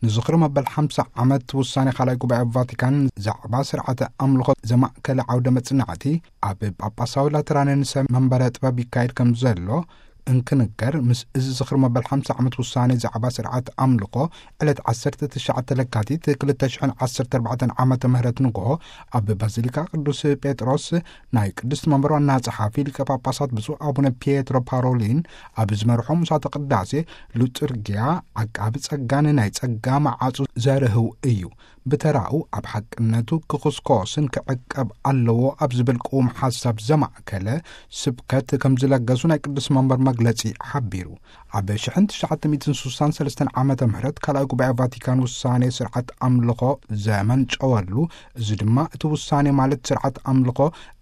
ንዝኽሪ መበል ሓምሳ ዓመት ውሳኔ ካልኣይ ጉባኤ ቫቲካን ዛዕባ ስርዓተ ኣምልኾ ዘማእከለ ዓውደ መጽናዕቲ ኣብ ጳጳሳዊ ላተራንን ሰብ መንበረ ጥበብ ይካየድ ከም ዘሎ እንክንገር፣ ምስ እዚ ዝኽሪ መበል ሓምሳ ዓመት ውሳኔ ዛዕባ ስርዓት ኣምልኾ ዕለት ዓሰርተ ትሽዓተ ለካቲት ክልተ ሽሕን ዓሰርተ ኣርባዕተን ዓመተ ምህረት ንግሆ ኣብ ባዚሊካ ቅዱስ ጴጥሮስ ናይ ቅድስቲ መንበር ዋና ጸሓፊ ሊቀ ጳጳሳት ብፁዕ ኣቡነ ፒየትሮ ፓሮሊን ኣብ ዝመርሖ ምሳተ ቅዳሴ፣ ሉጥርጊያ ዓቃቢ ጸጋን ናይ ጸጋ መዓጹ ዘርህው እዩ። ብተራኡ ኣብ ሓቅነቱ ክኹስኮስን ክዕቀብ ኣለዎ ኣብ ዝብል ቅዉም ሓሳብ ዘማእከለ ስብከት ከም ዝለገሱ ናይ ቅዱስ መንበር መግለጺ ሓቢሩ። ኣብ ሽሕን ትሽዓተ ሚእትን ስሳን ሰለስተን ዓመተ ምህረት ካልኣይ ጉባኤ ቫቲካን ውሳኔ ስርዓት ኣምልኾ ዘመንጨወሉ፣ እዚ ድማ እቲ ውሳኔ ማለት ስርዓት ኣምልኾ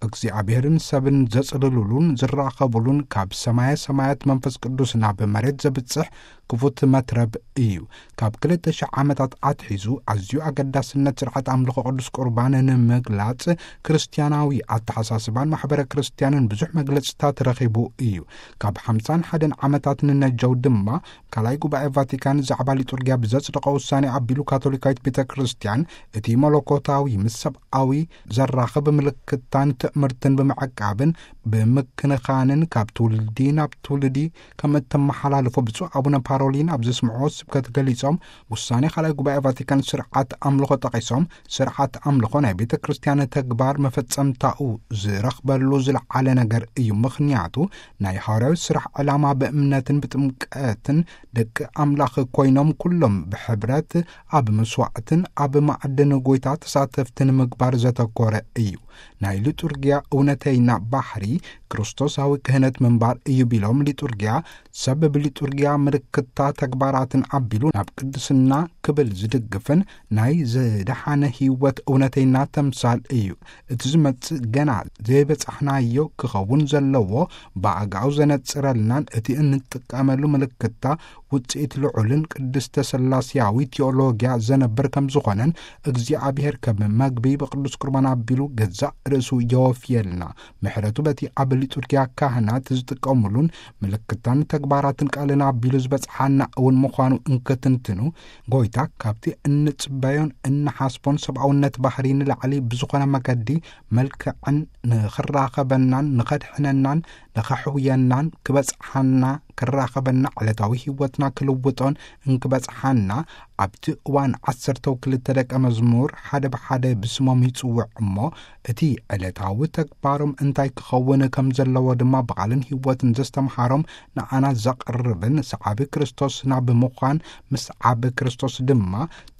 እግዚኣብሔርን ሰብን ዘጽልሉሉን ዝራኸቡሉን ካብ ሰማየ ሰማያት መንፈስ ቅዱስ ናብ መሬት ዘብጽሕ ክፉት መትረብ እዩ። ካብ ክልተ ሽሕ ዓመታት ኣትሒዙ ኣዝዩ ኣገዳስነት ስርዓት ኣምልኾ ቅዱስ ቁርባን ንምግላጽ ክርስትያናዊ ኣተሓሳስባን ማሕበረ ክርስትያንን ብዙሕ መግለጽታት ረኺቡ እዩ። ካብ ሓምሳን ሓደን ዓመታት ንነጀው ድማ ካልኣይ ጉባኤ ቫቲካን ዛዕባ ሊጡርጊያ ብዘጽደቐ ውሳኔ ኣቢሉ ካቶሊካዊት ቤተ ክርስትያን እቲ መለኮታዊ ምስ ሰብኣዊ ዘራኽብ ምልክታን ትእምርትን ብምዕቃብን ብምክንኻንን ካብ ትውልዲ ናብ ትውልዲ ከም እተመሓላልፎ ብፁዕ ኣቡነ ፓሮሊን ኣብ ዘስምዕዎ ስብከት ገሊጾም፣ ውሳኔ ካልኣይ ጉባኤ ቫቲካን ስርዓት ኣምልኾ ጠቒሶም፣ ስርዓት ኣምልኾ ናይ ቤተ ክርስትያን ተግባር መፈጸምታኡ ዝረኽበሉ ዝለዓለ ነገር እዩ። ምኽንያቱ ናይ ሃዋርያዊ ስራሕ ዕላማ ብእምነትን ብጥምቀትን ደቂ ኣምላኽ ኮይኖም ኩሎም ብሕብረት ኣብ መስዋዕትን ኣብ ማዕድን ጎይታ ተሳተፍቲ ንምግባር ዘተኮረ እዩ። ናይ ሊጡርጊያ እውነተይና ባህሪ ክርስቶሳዊ ክህነት ምንባር እዩ ቢሎም፣ ሊጡርጊያ ሰብ ብሊጡርጊያ ምልክታ ተግባራትን ኣቢሉ ናብ ቅድስና ክብል ዝድግፍን ናይ ዝደሓነ ህይወት እውነተይና ተምሳል እዩ። እቲ ዝመጽእ ገና ዘይበጻሕናዮ ክኸውን ዘለዎ ብኣጋኡ ዘነጽረልናን እቲ እንጥቀመሉ ምልክታ ውጽኢት ልዑልን ቅድስተ ሥላሴያዊ ቴዎሎጊያ ዘነብር ከም ዝኾነን እግዚኣብሔር ከም መግቢ ብቅዱስ ቁርባን ኣቢሉ ገዛእ ርእሱ የወፍየልና። ምሕረቱ በቲ ኣብ ሊጡርጊያ ካህናት ዝጥቀሙሉን ምልክታን ተግባራትን ቃልን ኣቢሉ ዝበጽሓና እውን ምዃኑ እንክትንትኑ፣ ጎይታ ካብቲ እንጽበዮን እንሓስቦን ሰብኣውነት ባህሪ ንላዕሊ ብዝኾነ መገዲ መልክዕን ንኽራኸበናን ንኸድሕነናን ንኸሕውየናን ክበጽሓና ክራኸበና ዕለታዊ ህይወትና ክልውጦን እንክበጽሓና ኣብቲ እዋን ዓሰርተው ክልተ ደቀ መዝሙር ሓደ ብሓደ ብስሞም ይጽውዕ እሞ እቲ ዕለታዊ ተግባሮም እንታይ ክኸውን ከም ዘለዎ ድማ ብቓልን ህይወትን ዘስተምሃሮም ንዓና ዘቕርብን ሰዓቢ ክርስቶስና ብምዃን ምስ ዓቢ ክርስቶስ ድማ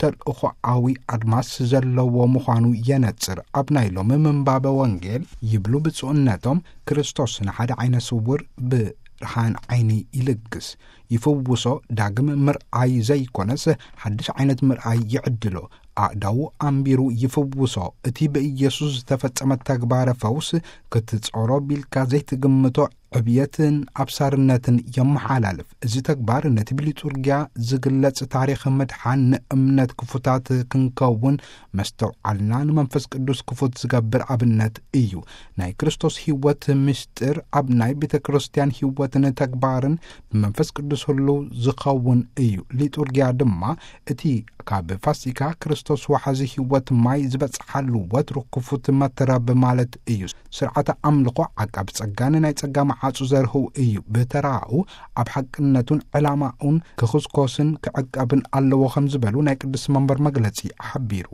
ተልእኾኣዊ ኣድማስ ዘለዎ ምዃኑ የነጽር። ኣብ ናይ ሎሚ ምንባበ ወንጌል ይብሉ ብፁዕነቶም ክርስቶስ ንሓደ ዓይነ ስውር ብርሃን ዓይኒ ይልግስ፣ ይፍውሶ፣ ዳግም ምርኣይ ዘይኮነስ ሓድሽ ዓይነት ምርኣይ ይዕድሎ፣ ኣእዳዉ ኣንቢሩ ይፍውሶ። እቲ ብኢየሱስ ዝተፈጸመ ተግባረ ፈውስ ክትጾሮ ቢልካ ዘይትግምቶ ዕብየትን ኣብሳርነትን የመሓላልፍ። እዚ ተግባር ነቲ ብሊጡርጊያ ዝግለጽ ታሪኽ ምድሓን ንእምነት ክፉታት ክንከውን መስተውዓልና ንመንፈስ ቅዱስ ክፉት ዝገብር ኣብነት እዩ። ናይ ክርስቶስ ህይወት ምስጢር ኣብ ናይ ቤተ ክርስቲያን ህይወትን ተግባርን ብመንፈስ ቅዱስ ህልው ዝኸውን እዩ። ሊጡርጊያ ድማ እቲ ካብ ፋሲካ ክርስቶስ ወሓዚ ህይወት ማይ ዝበጽሓሉ ወትሩ ክፉት መትረብ ማለት እዩ። ስርዓተ ኣምልኾ ዓቃብ ጸጋን ናይ ጸጋ መዓጹ ዘርህው እዩ። ብተራኡ ኣብ ሓቅነቱን ዕላማኡን ክኽስኮስን ክዕቀብን ኣለዎ ከም ዝበሉ ናይ ቅዱስ መንበር መግለጺ ሓቢሩ።